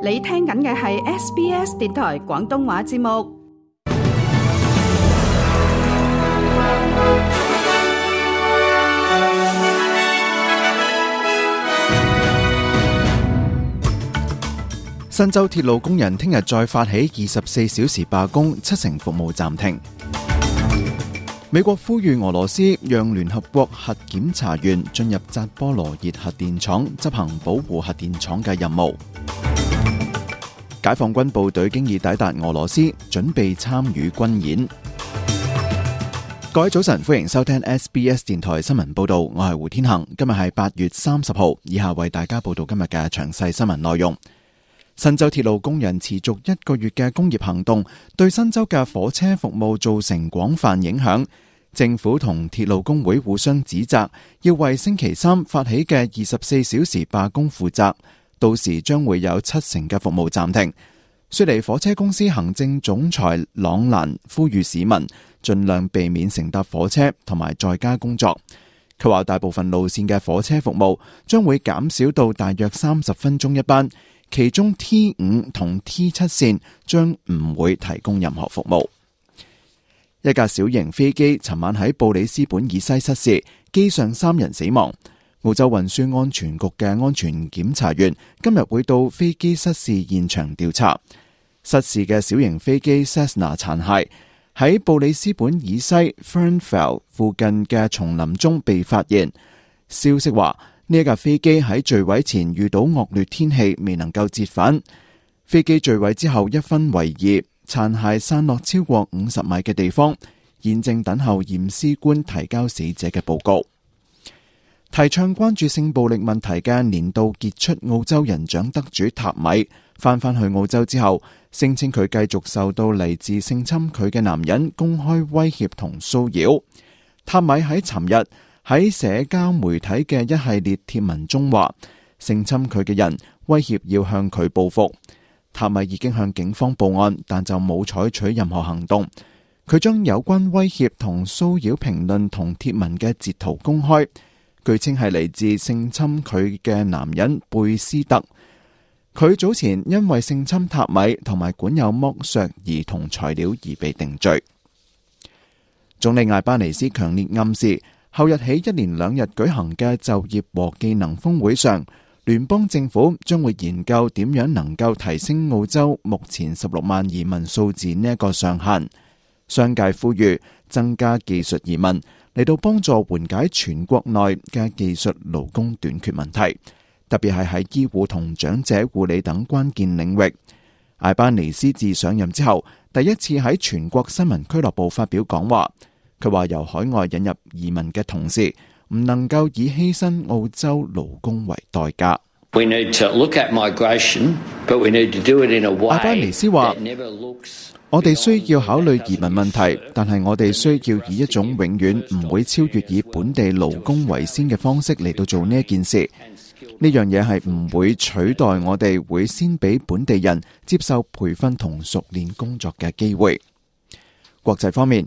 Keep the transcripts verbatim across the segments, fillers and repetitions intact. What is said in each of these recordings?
你聽緊嘅係 S B S 電台廣東話節目。新州鐵路工人聽日再發起二十四小時罷工，七成服務暫停。美國呼籲俄羅斯讓聯合國核檢查員進入扎波羅熱核電廠執行保護核電廠嘅任務。解放軍部隊經已抵達俄羅斯，準備參與軍演。各位早晨，歡迎收聽 S B S 電台新聞報道，我係胡天恒。今日係八月三十號，以下為大家報道今日嘅詳細新聞內容。新州鐵路工人持續一個月嘅工業行動，對新州嘅火車服務造成廣泛影響。政府同鐵路工會互相指責，要為星期三發起嘅二十四小時罷工負責，到時將會有七成嘅服務暫停。雪梨火車公司行政總裁朗蘭呼籲市民盡量避免乘搭火車同埋在家工作。佢話大部分路線嘅火車服務將會減少到大約三十分鐘一班，其中 T 五 同 T 七 線將唔會提供任何服務。一架小型飛機尋晚喺布里斯本以西失事，機上三人死亡。澳洲運輸安全局嘅安全檢查員今日會到飛機失事現場調查。失事嘅小型飛機 Cessna 殘骸喺布里斯本以西 Fernvale 附近嘅叢林中被發現。消息話呢一架飛機喺墜毀前遇到惡劣天氣，未能夠折返。飛機墜毀之後一分為二，殘骸散落超過五十米嘅地方，現正等候驗屍官提交死者嘅報告。提倡關注性暴力問題嘅年度傑出澳洲人獎得主塔米翻返去澳洲之後，聲稱佢繼續受到嚟自性侵佢嘅男人公開威脅同騷擾。塔米喺尋日喺社交媒體嘅一系列貼文中話，性侵佢嘅人威脅要向佢報復。塔米已經向警方報案，但就冇採取任何行動。佢將有關威脅同騷擾評論同貼文嘅截圖公開，據稱係嚟自性侵佢嘅男人貝斯特。佢早前因為性侵塔米同埋管有剝削兒童材料而被定罪。總理艾巴尼斯強烈暗示，後日起一連兩日舉行嘅就業和技能峰會上，聯邦政府將會研究點樣能夠提升澳洲目前十六萬移民數字呢一個上限。商界呼籲增加技術移民嚟到幫助緩解全國內嘅技術勞工短缺問題，特別係喺醫護同長者護理等關鍵領域。艾巴尼斯自上任之後，第一次喺全國新聞俱樂部發表講話。佢話由海外引入移民嘅同時，唔能夠以犧牲澳洲勞工為代價。We need to look at migration, but we need to do it in a way 阿巴尼斯話，我哋需要考慮移民問題，但係我哋需要以一種永遠唔會超越以本地勞工為先嘅方式嚟到做呢一件事。呢樣嘢係唔會取代我哋會先俾本地人接受培訓同熟練工作嘅機會。國際方面，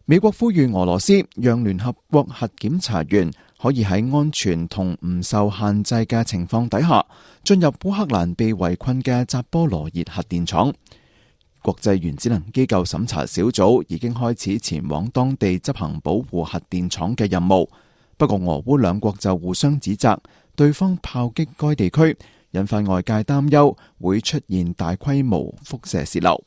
美國呼籲俄羅斯讓聯合國核檢查員可以喺安全同唔受限制嘅情況底下進入烏克蘭被圍困嘅扎波羅熱核電廠。國際原子能機構審查小組已經開始前往當地執行保護核電廠嘅任務，不過俄烏兩國就互相指責對方炮擊該地區，引發外界擔憂會出現大規模輻射洩漏。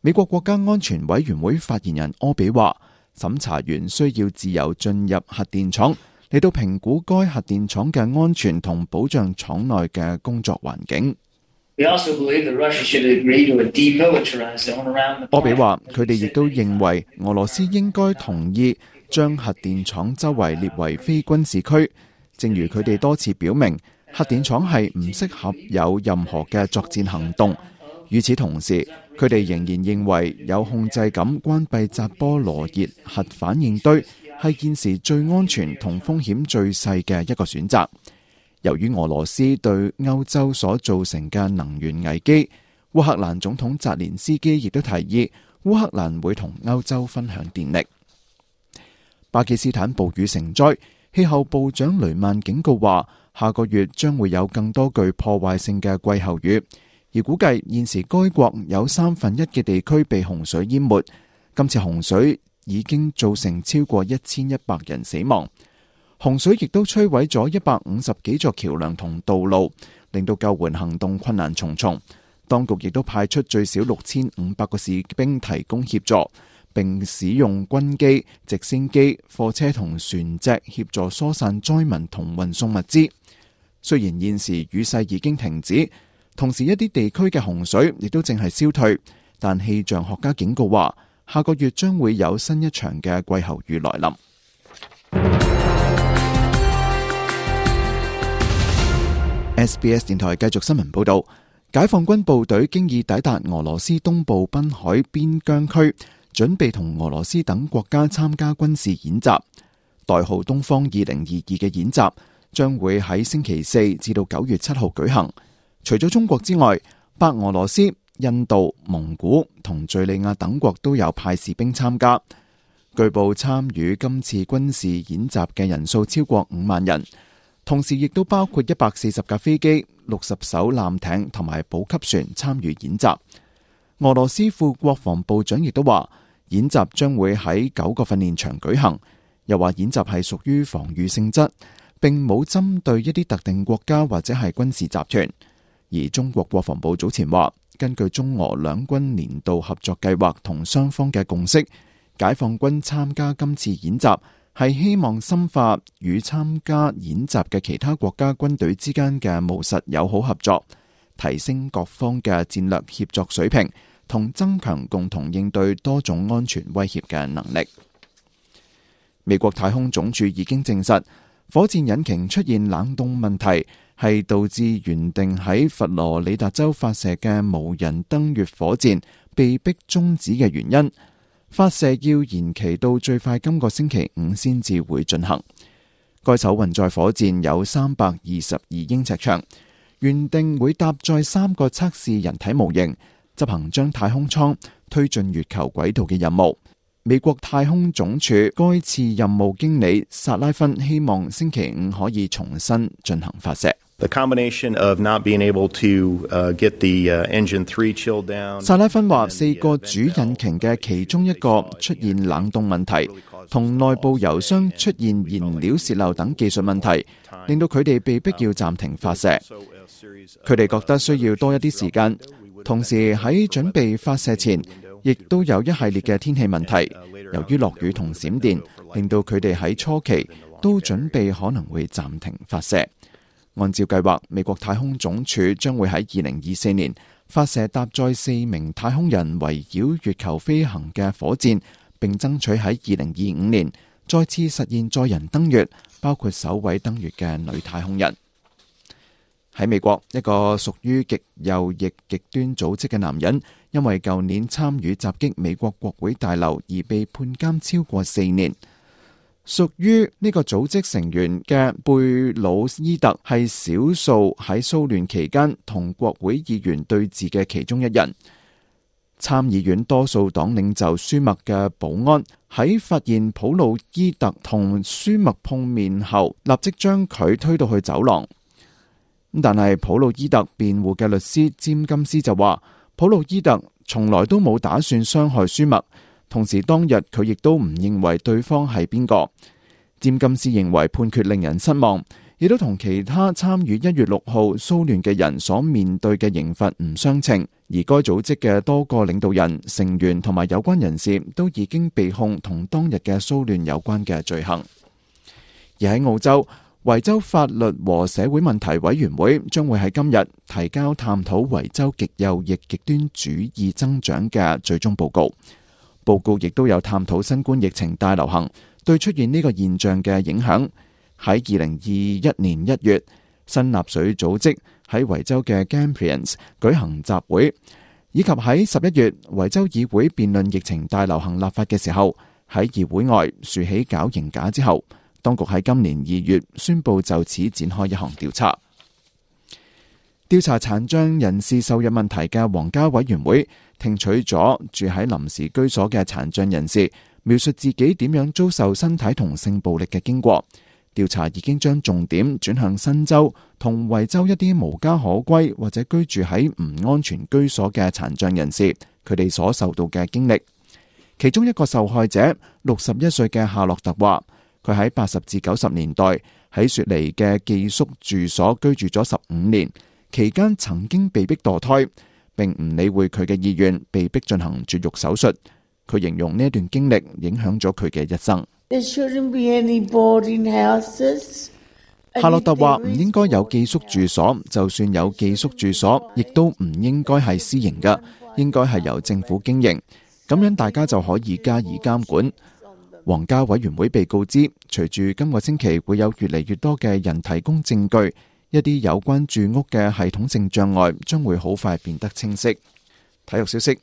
美國國家安全委員會發言人柯比話，審查員需要自由進入核電廠嚟到評估該核電廠嘅安全同保障廠內嘅工作環境。柯比話，佢哋亦都認為俄羅斯應該同意將核電廠周圍列為非軍事區，正如佢哋多次表明，核電廠係唔適合有任何嘅作戰行動。與此同時，佢哋仍然認為有控制咁關閉扎波羅熱核反應堆係現時最安全同風險最細嘅一個選擇。由於俄羅斯對歐洲所造成嘅能源危機，烏克蘭總統澤連斯基亦都提議烏克蘭會同歐洲分享電力。巴基斯坦暴雨成災，氣候部長雷曼警告話，下個月將會有更多具破壞性嘅季候雨。而估計現時該國有三分一嘅地區被洪水淹沒。今次洪水已經造成超過一千一百人死亡。洪水亦都摧毀咗一百五十幾座橋樑同道路，令到救援行動困難重重。當局亦都派出最少六千五百個士兵提供協助，並使用軍機、直升機、貨車同船隻協助疏散災民同運送物資。雖然現時雨勢已經停止，同時一啲地區嘅洪水亦都正係消退，但氣象學家警告話，下個月將會有新一場嘅季候雨來臨。S B S 電台繼續新聞報道，解放軍部隊經已抵達俄羅斯東部濱海邊疆區，準備同俄羅斯等國家參加軍事演習。代號東方二零二二嘅演習將會喺星期四至到九月七號舉行。除咗中國之外，白俄羅斯、印度、蒙古同敘利亞等國都有派士兵參加。據報參與今次軍事演習嘅人數超過五萬人。同時亦都包括一百四十架飛機、六十艘艦艇同埋補給船參與演習。俄羅斯副國防部長亦都話，演習將會喺九個訓練場舉行，又話演習係屬於防禦性質，並冇針對一啲特定國家或者係軍事集團。而中國國防部早前話，根據中俄兩軍年度合作計劃同雙方嘅共識，解放軍參加今次演習係希望深化與參加演習嘅其他國家軍隊之間嘅務實友好合作，提升各方嘅戰略協作水平，同增強共同應對多種安全威脅嘅能力。美國太空總署已經證實，火箭引擎出現冷凍問題，係導致原定喺佛羅里達州發射嘅無人登月火箭被迫終止嘅原因。發射要延期到最快今個星期五先至會進行。該艘運載火箭有三百二十二英尺長，原定會搭載三個測試人體模型，執行將太空艙推進月球軌道嘅任務。美國太空總署該次任務經理薩拉芬希望星期五可以重新進行發射。The combination of not being able to uh, get the uh, engine three chill down. 薩拉芬話，四個主引擎嘅其中一個出現冷凍問題，同內部油箱出現燃料洩漏等技術問題，令到佢哋被迫要暫停發射。佢哋覺得需要多一啲時間，同時喺準備發射前，亦都有一系列嘅天氣問題。由於落雨同閃電，令到佢哋喺初期都準備可能會暫停發射。按照計劃，美國太空總署將會喺二零二四年發射搭載四名太空人圍繞月球飛行嘅火箭，並爭取喺二零二五年再次實現載人登月，包括首位登月嘅女太空人。喺美國，一個屬於極右翼極端組織嘅男人，因為舊年參與襲擊美國國會大樓而被判監超過四年。屬於呢個組織成員嘅貝魯伊特係少數喺騷亂期間同國會議員對峙嘅其中一人。參議院多數黨領袖舒默嘅保安喺發現普魯伊特同舒默碰面後，立即將佢推到去走廊。但係普魯伊特辯護嘅律師詹金斯就話，普魯伊特從來都冇打算傷害舒默。同時當日佢亦都唔認為對方係邊個。詹金斯認為判決令人失望，亦都同其他參與一月六號騷亂嘅人所面對嘅刑罰唔相稱。而該組織嘅多個領導人、成員同埋有關人士都已經被控同當日嘅騷亂有關嘅罪行。而喺澳洲，維州法律和社會問題委員會將會喺今日提交探討維州極右翼極端主義增長嘅最終報告。報告亦都有探討新冠疫情大流行對出現呢個現象嘅影響。喺二零二一年一月，新納粹組織喺維州嘅 Grampians 舉行集會，以及喺十一月維州議會辯論疫情大流行立法嘅時候，喺議會外豎起絞刑架之後，當局喺今年二月宣布就此展開一項調查。調查殘障人士受虐問題嘅皇家委員會聽取咗住喺臨時居所嘅殘障人士描述自己點樣遭受身體同性暴力嘅經過，調查已經將重點轉向新州同維州一啲無家可歸或者居住喺唔安全居所嘅殘障人士，佢哋所受到嘅經歷。其中一個受害者六十一歲嘅夏洛特話，佢喺八十至九十年代喺雪梨嘅寄宿住所居住咗十五年，期間曾經被逼墮胎，並唔理會佢嘅意願，被逼進行絕育手術。佢形容呢一段經歷影響咗佢嘅一生。夏洛特話唔應該有寄宿住所，就算有寄宿住所，亦都唔應該係私營嘅，應該係由政府經營，咁樣大家就可以加以監管。皇家委員會被告知，隨住今個星期會有越嚟越多嘅人提供證據，一啲有關住屋嘅系統性障礙將會好快變得清晰。體育消息，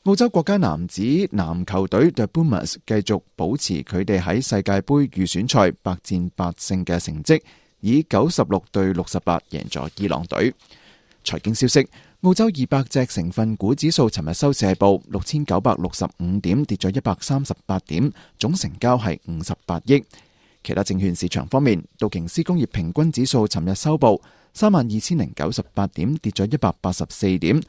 澳洲國家男子籃球隊 The Boomers 繼續保持佢哋喺世界盃預選賽百戰百勝嘅成績，以九十六對六十八贏咗伊朗隊。財經消息，澳洲二百隻成分股指數尋日收市報六千九百六十五點，跌咗一百三十八點，總成交係五十八億。其他證券市場方面，道瓊斯工業平均指數尋日收報三萬二千零九十八點，跌咗一百八十四點。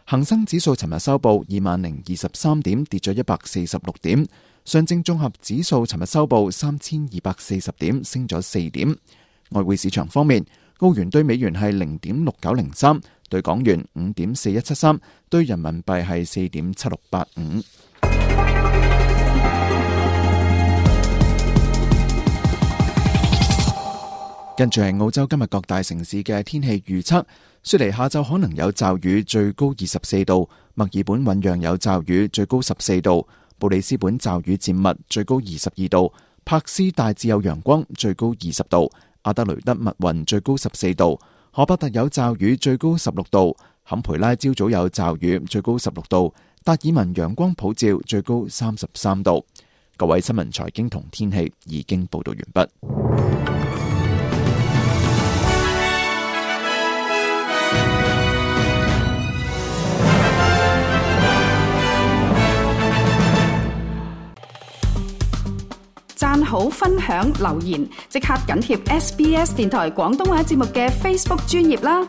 恒生指數尋日收報二萬零二十三點，跌咗一百四十六點。上證綜合指數尋日收報三千二百四十點，升咗四點。外匯市場方面，澳元對美元係零點六九零三，對港元五點四一七三，對人民幣係四點七六八五。跟住係澳洲今日各大城市嘅天氣預測。雪梨下晝可能有驟雨，最高二十四度；墨爾本醞釀有驟雨，最高十四度；布里斯本驟雨漸密，最高二十二度；柏斯大致有陽光，最高二十度；阿德雷德密雲，最高十四度；荷伯特有驟雨，最高十六度；坎培拉朝早有驟雨，最高十六度；達爾文陽光普照，最高三十三度。各位新聞財經同天氣已經報道完畢。讚好、分享、留言，即刻緊貼 S B S 電台廣東話節目嘅 Facebook 專頁啦！